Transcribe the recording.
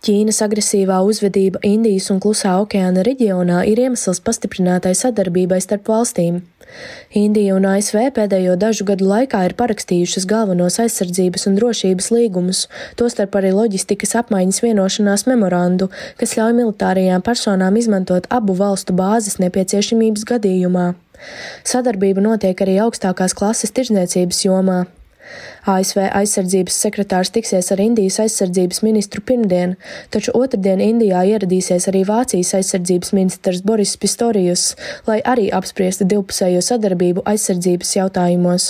Ķīnas agresīvā uzvedība Indijas un Klusā okeāna reģionā ir iemesls pastiprinātai sadarbībai starp valstīm. Indija un ASV pēdējo dažu gadu laikā ir parakstījušas galvenos aizsardzības un drošības līgumus, tostarp arī loģistikas apmaiņas vienošanās memorandu, kas ļauj militārajām personām izmantot abu valstu bāzes nepieciešamības gadījumā. Sadarbība notiek arī augstākās klases tirdzniecības jomā. ASV aizsardzības sekretārs tiksies ar Indijas aizsardzības ministru pirmdien, taču otrdien Indijā ieradīsies arī Vācijas aizsardzības ministrs Boris Pistorijus, lai arī apspriestu divpusējo sadarbību aizsardzības jautājumos.